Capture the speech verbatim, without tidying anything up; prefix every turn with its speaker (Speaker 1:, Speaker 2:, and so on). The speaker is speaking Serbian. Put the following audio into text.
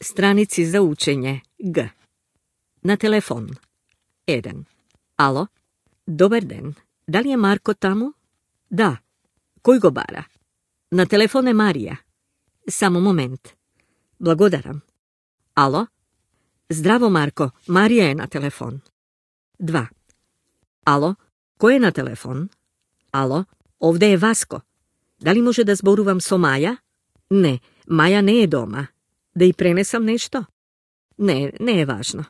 Speaker 1: stranici za učenje G. Na telefon. jedan. Alo? Dobar den. Da li je Marko tamo? Da. Koji gobara? Na telefone Marija. Samo moment. Blagodaram. Alo? Zdravo, Marko. Marija je na telefon. dva. Alo? Ko je na telefon? Alo? Ovdje je Vasko. Da li može da zboruvam so Maja? Ne, Maja ne je doma. Da i prenesam nešto? Ne, ne je važno.